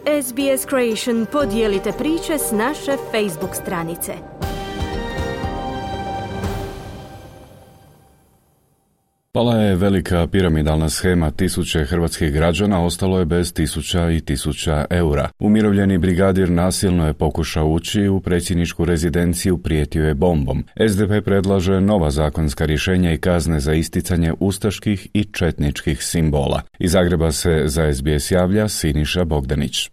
SBS Creation, podijelite priče s naše Facebook stranice. Pala je velika piramidalna shema, tisuće hrvatskih građana ostalo je bez tisuća i tisuća eura. Umirovljeni brigadir nasilno je pokušao ući u predsjedničku rezidenciju, prijetio je bombom. SDP predlaže nova zakonska rješenja i kazne za isticanje ustaških i četničkih simbola. Iz Zagreba se za SBS javlja Siniša Bogdanić.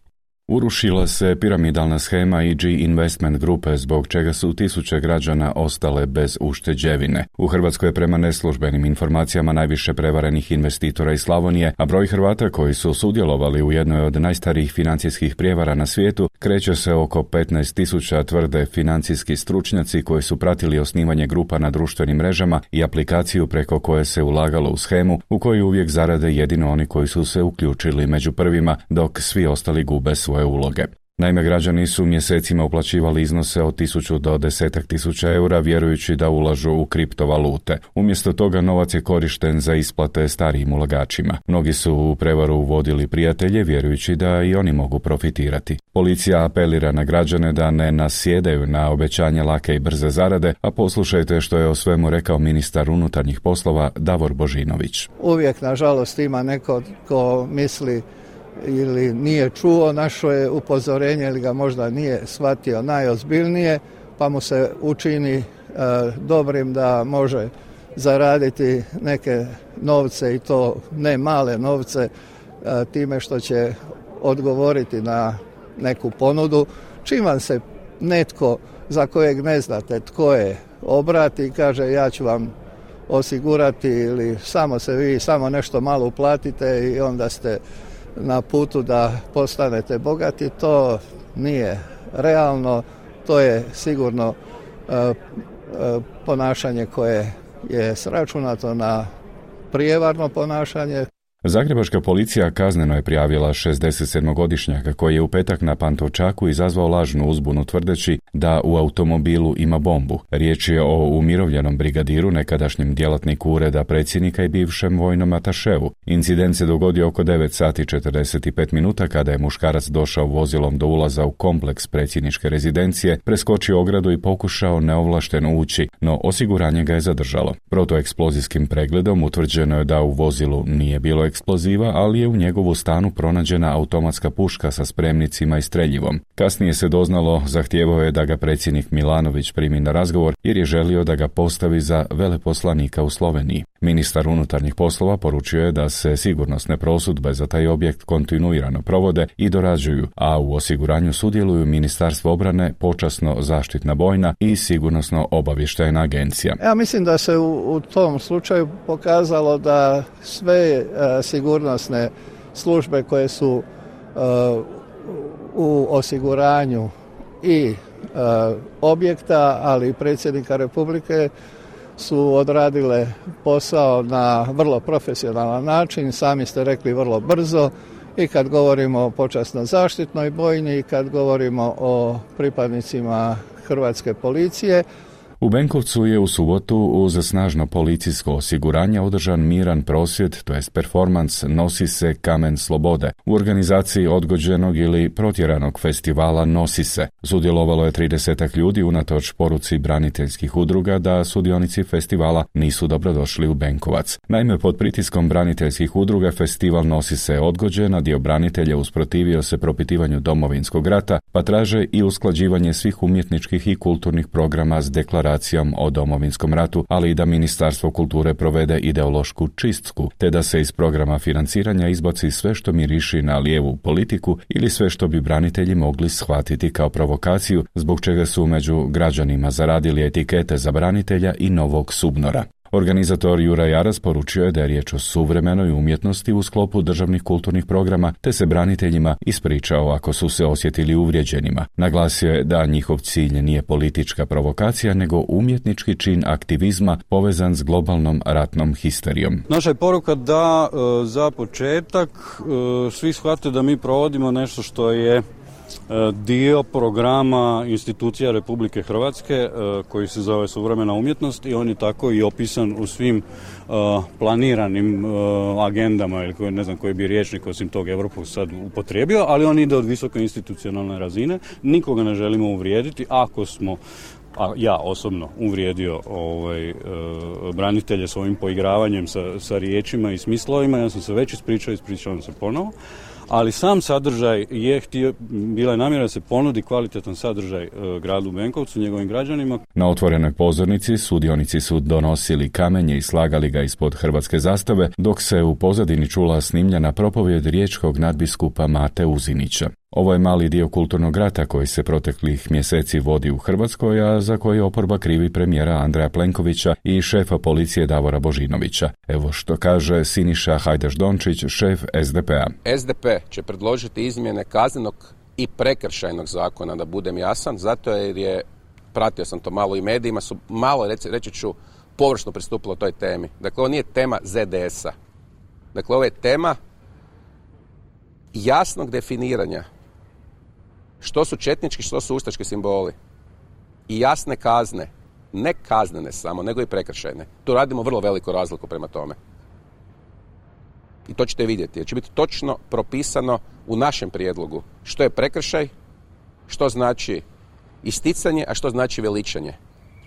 Urušila se piramidalna shema EG Investment grupe, zbog čega su tisuće građana ostale bez ušteđevine. U Hrvatskoj je prema neslužbenim informacijama najviše prevarenih investitora iz Slavonije, a broj Hrvata koji su sudjelovali u jednoj od najstarijih financijskih prijevara na svijetu kreće se oko 15.000, tvrde financijski stručnjaci koji su pratili osnivanje grupa na društvenim mrežama i aplikaciju preko koje se ulagalo u shemu, u kojoj uvijek zarade jedino oni koji su se uključili među prvima, dok svi ostali gube svoje uloge. Naime, građani su mjesecima uplaćivali iznose od 1.000 do 10.000 eura vjerujući da ulažu u kriptovalute. Umjesto toga novac je korišten za isplate starijim ulagačima. Mnogi su u prevaru uvodili prijatelje vjerujući da i oni mogu profitirati. Policija apelira na građane da ne nasjedaju na obećanje lake i brze zarade, a poslušajte što je o svemu rekao ministar unutarnjih poslova Davor Božinović. Uvijek, nažalost, ima neko ko misli ili nije čuo naše upozorenje ili ga možda nije shvatio najozbiljnije, pa mu se učini dobrim da može zaraditi neke novce i to ne male novce time što će odgovoriti na neku ponudu. Čim vam se netko za kojeg ne znate tko je obrati i kaže ja ću vam osigurati ili samo nešto malo uplatite i onda ste na putu da postanete bogati, to nije realno, to je sigurno ponašanje koje je sračunato na prijevarno ponašanje. Zagrebačka policija kazneno je prijavila 67-godišnjaka koji je u petak na Pantovčaku izazvao lažnu uzbunu tvrdeći da u automobilu ima bombu. Riječ je o umirovljenom brigadiru, nekadašnjem djelatniku ureda predsjednika i bivšem vojnom ataševu. Incident se dogodio oko 9:45 kada je muškarac došao vozilom do ulaza u kompleks predsjedničke rezidencije, preskočio ogradu i pokušao neovlašteno ući, no osiguranje ga je zadržalo. Protueksplozijskim pregledom utvrđeno je da u vozilu nije bilo eksploziva, ali je u njegovu stanu pronađena automatska puška sa spremnicima i streljivom. Kasnije se doznalo, zahtijevao je da ga predsjednik Milanović primi na razgovor jer je želio da ga postavi za veleposlanika u Sloveniji. Ministar unutarnjih poslova poručio je da se sigurnosne prosudbe za taj objekt kontinuirano provode i dorađuju, a u osiguranju sudjeluju Ministarstvo obrane, počasno zaštitna bojna i sigurnosno obavještajna agencija. Ja mislim da se u tom slučaju pokazalo da sve sigurnosne službe koje su u osiguranju i objekta, ali i predsjednika Republike su odradile posao na vrlo profesionalan način, sami ste rekli vrlo brzo, i kad govorimo o počasno zaštitnoj bojni i kad govorimo o pripadnicima Hrvatske policije. U Benkovcu je u subotu uz snažno policijsko osiguranje održan miran prosvjed, to jest performans Nosi se kamen slobode, u organizaciji odgođenog ili protjeranog festivala Nosi se. Sudjelovalo je 30 ljudi unatoč poruci braniteljskih udruga da sudionici festivala nisu dobrodošli u Benkovac. Naime, pod pritiskom braniteljskih udruga festival Nosi se odgođen, a dio branitelja usprotivio se propitivanju Domovinskog rata, pa traže i usklađivanje svih umjetničkih i kulturnih programa s deklaracijom o Domovinskom ratu, ali i da Ministarstvo kulture provede ideološku čistku, te da se iz programa financiranja izbaci sve što miriši na lijevu politiku ili sve što bi branitelji mogli shvatiti kao provokaciju, zbog čega su među građanima zaradili etikete za branitelja i novog subnora. Organizator Juraj Aras poručio je da je riječ o suvremenoj umjetnosti u sklopu državnih kulturnih programa, te se braniteljima ispričao ako su se osjetili uvrijeđenima. Naglasio je da njihov cilj nije politička provokacija, nego umjetnički čin aktivizma povezan s globalnom ratnom histerijom. Naša je poruka da za početak svi shvate da mi provodimo nešto što je dio programa institucija Republike Hrvatske koji se zove Suvremena umjetnost i on je tako i opisan u svim planiranim agendama ili ne znam koji bi rječnik osim tog Evropu sad upotrijebio, ali on ide od visoke institucionalne razine. Nikoga ne želimo uvrijediti. Ako smo, a ja osobno uvrijedio branitelje svojim poigravanjem sa riječima i smislovima, ja sam se već ispričavam se ponovo. Ali sam sadržaj bila je namjera da se ponudi kvalitetan sadržaj gradu Benkovcu, njegovim građanima. Na otvorenoj pozornici sudionici su donosili kamenje i slagali ga ispod hrvatske zastave, dok se u pozadini čula snimljena propovjed riječkog nadbiskupa Mate Uzinića. Ovo je mali dio kulturnog rata koji se proteklih mjeseci vodi u Hrvatskoj, a za koji oporba krivi premijera Andreja Plenkovića i šefa policije Davora Božinovića. Evo što kaže Siniša Hajdaš-Dončić, šef SDP-a. SDP će predložiti izmjene kaznenog i prekršajnog zakona, da budem jasan, zato jer je, pratio sam to malo i medijima, su malo, reći ću, površno pristupilo toj temi. Dakle, ovo nije tema ZDS-a. Dakle, ovo je tema jasnog definiranja što su četnički, što su ustaški simboli. I jasne kazne, ne kaznene samo, nego i prekršajne. Tu radimo vrlo veliku razliku prema tome. I to ćete vidjeti, jer će biti točno propisano u našem prijedlogu što je prekršaj, što znači isticanje, a što znači veličanje.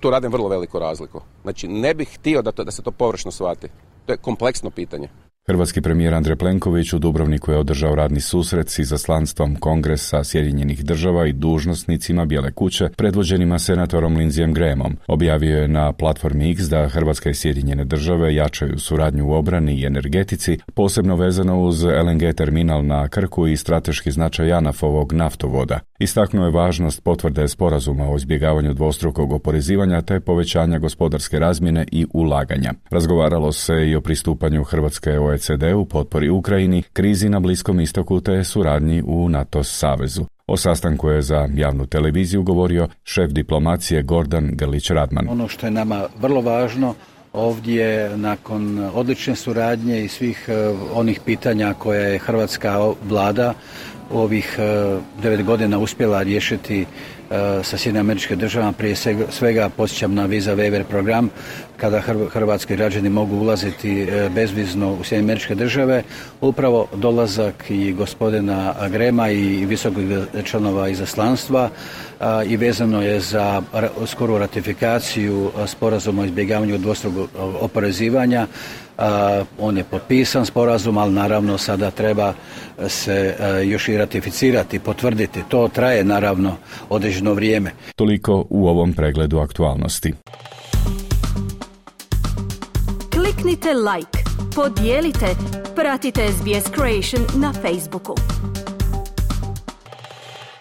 Tu radim vrlo veliku razliku. Znači, ne bih htio da se to površno shvati. To je kompleksno pitanje. Hrvatski premijer Andrej Plenković u Dubrovniku je održao radni susret s izaslanstvom Kongresa Sjedinjenih država i dužnosnicima Bijele kuće, predvođenima senatorom Lindseyem Grahamom. Objavio je na platformi X da Hrvatska i Sjedinjene države jačaju suradnju u obrani i energetici, posebno vezano uz LNG terminal na Krku i strateški značaj JANAF-ovog naftovoda. Istaknuo je važnost potvrde sporazuma o izbjegavanju dvostrukog oporezivanja te povećanja gospodarske razmjene i ulaganja. Razgovaralo se i o pristupanju Hrvatske OECD-u, potpori Ukrajini, krizi na Bliskom istoku te suradnji u NATO savezu. O sastanku je za javnu televiziju govorio šef diplomacije Gordan Grlić-Radman. Ono što je nama vrlo važno ovdje, nakon odlične suradnje i svih onih pitanja koje je hrvatska vlada u ovih 9 godina uspjela riješiti sa Sjedinjenim Američkim Državama, prije svega podsjećam na Visa Waiver program, kada hrvatski građani mogu ulaziti bezvizno u Sjedinjene Američke Države. Upravo dolazak i gospodina Grahama i visokog članova izaslanstva i vezano je za skoru ratifikaciju sporazuma o izbjegavanju dvostrukog oporezivanja. On je potpisan sporazum, ali naravno sada treba se još i ratificirati, potvrditi. To traje naravno određeno vrijeme. Toliko u ovom pregledu aktualnosti. Kliknite like, podijelite, pratite SBS Creation na Facebooku.